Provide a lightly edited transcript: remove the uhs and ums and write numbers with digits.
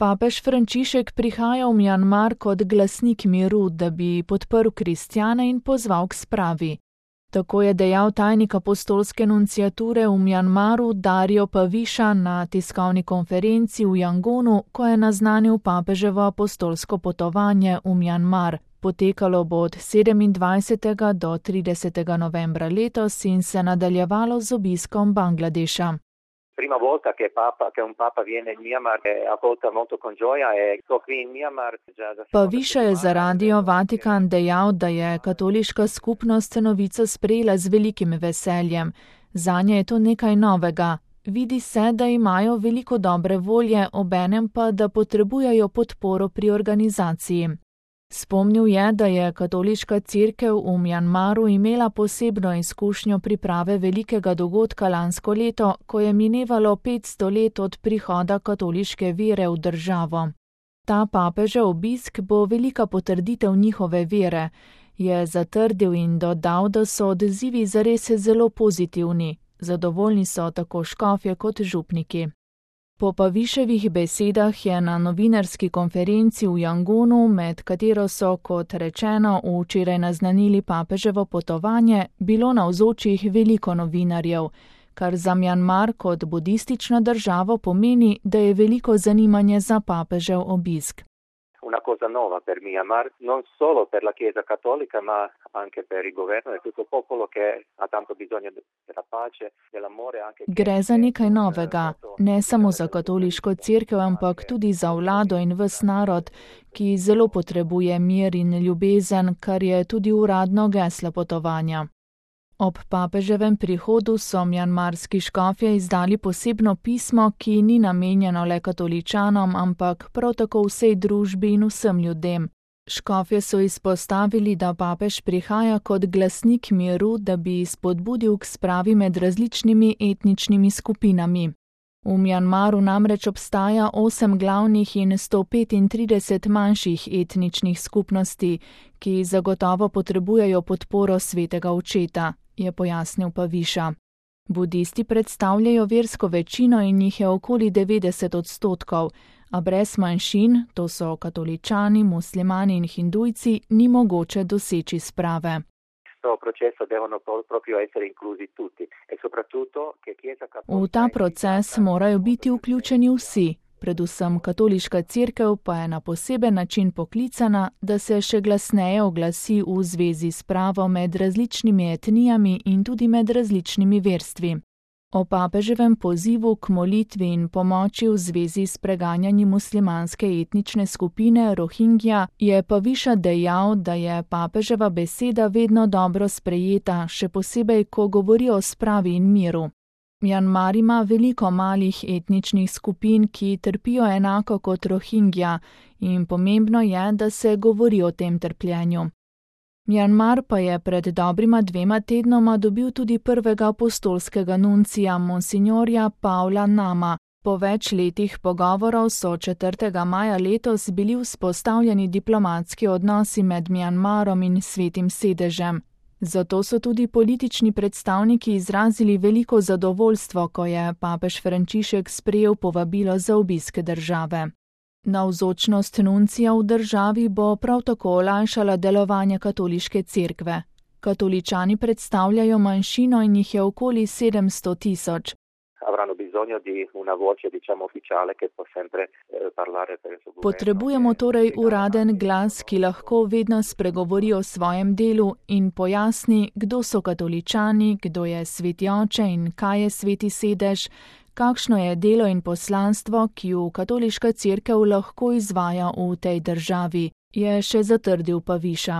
Papež Frančišek prihaja v Mjanmar kot glasnik miru, da bi podprl kristjane in pozval k spravi. Tako je dejal tajnik apostolske nunciature v Mjanmaru Dario Paviša na tiskovni konferenci v Jangonu, ko je naznanil papeževo apostolsko potovanje v Mjanmar. Potekalo bo od 27. do 30. novembra letos in se nadaljevalo z obiskom Bangladeša. Prima volta che un papa viene in Myanmar è accolta molto con gioia e qui in Myanmar Paviša je za Radio Vatikan dejal, da je katoliška skupnost novico sprejela z velikim veseljem. Zanje je to nekaj novega. Vidi se, da imajo veliko dobre volje, obenem pa, da potrebujejo podporo pri organizaciji. Spomnil je, da je katoliška cerkev v Mjanmaru imela posebno izkušnjo priprave velikega dogodka lansko leto, ko je minevalo 500 let od prihoda katoliške vere v državo. Ta papežev obisk bo velika potrditev njihove vere, je zatrdil in dodal, da so odzivi zares zelo pozitivni. Zadovoljni so tako škofje kot župniki. Po Paviševih besedah je na novinarski konferenci v Jangonu, med katero so, kot rečeno, včeraj naznanili papeževo potovanje, bilo navzočih veliko novinarjev, kar za Mjanmar kot budistično državo pomeni, da je veliko zanimanje za papežev obisk. Una cosa nova per Myanmar, non solo per la Chiesa cattolica, ma anche per il governo e tutto il popolo che ha tanto bisogno della pace, dell'amore. Gre za nekaj novega, ne samo za katoliško cerkev, ampak tudi za vlado in ves narod, ki zelo potrebuje mir in ljubezen, kar je tudi uradno geslo potovanja. Ob papeževem prihodu so mjanmarski škofje izdali posebno pismo, ki ni namenjeno le katoličanom, ampak prav tako vsej družbi in vsem ljudem. Škofje so izpostavili, da papež prihaja kot glasnik miru, da bi spodbudil k spravi med različnimi etničnimi skupinami. V Mjanmaru namreč obstaja 8 glavnih in 135 manjših etničnih skupnosti, ki zagotovo potrebujejo podporo svetega očeta, je pojasnil Paviša. Budisti predstavljajo versko večino in jih je okoli 90%, a brez manjšin, to so katoličani, muslimani in hindujci, ni mogoče doseči sprave. V ta proces morajo biti vključeni vsi, predvsem katoliška cerkev pa je na poseben način poklicana, da se še glasneje oglasi v zvezi s spravo med različnimi etnijami in tudi med različnimi verstvi. O papeževem pozivu k molitvi in pomoči v zvezi s preganjanjem muslimanske etnične skupine Rohingja je Paviša dejal, da je papeževa beseda vedno dobro sprejeta, še posebej, ko govori o spravi in miru. Mjanmar ima veliko malih etničnih skupin, ki trpijo enako kot Rohingja, in pomembno je, da se govori o tem trpljenju. Mjanmar pa je pred dobrima 2 tednoma dobil tudi prvega apostolskega nuncija, monsinjorja Paula Nama. Po več letih pogovorov so 4. maja letos bili vzpostavljeni diplomatski odnosi med Mjanmarom in Svetim sedežem. Zato so tudi politični predstavniki izrazili veliko zadovoljstvo, ko je papež Frančišek sprejel povabilo za obisk države. Navzočnost nuncija v državi bo prav tako olajšala delovanje katoliške cerkve. Katoličani predstavljajo manjšino in jih je okoli 700.000. Potrebujemo torej uraden glas, ki lahko vedno spregovori o svojem delu in pojasni, kdo so katoličani, kdo je sveti oče in kaj je sveti sedež, kakšno je delo in poslanstvo, ki ju katoliška cerkev lahko izvaja v tej državi, je še zatrdil Paviša.